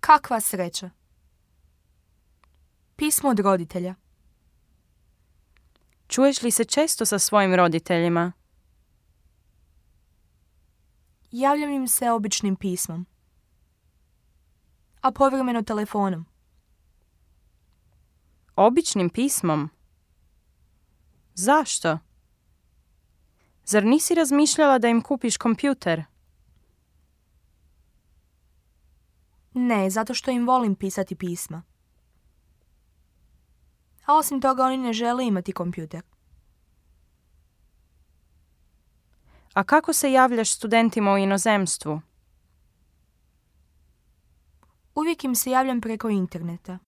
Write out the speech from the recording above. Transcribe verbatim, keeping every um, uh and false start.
Kakva sreća. Pismo od roditelja. Čuješ li se često sa svojim roditeljima? Javljam im se običnim pismom, a povremeno telefonom. Običnim pismom? Zašto? Zar nisi razmišljala da im kupiš kompjuter? Ne, zato što im volim pisati pisma. A osim toga oni ne žele imati kompjuter. A kako se javljaš studentima u inozemstvu? Uvijek im se javljam preko interneta.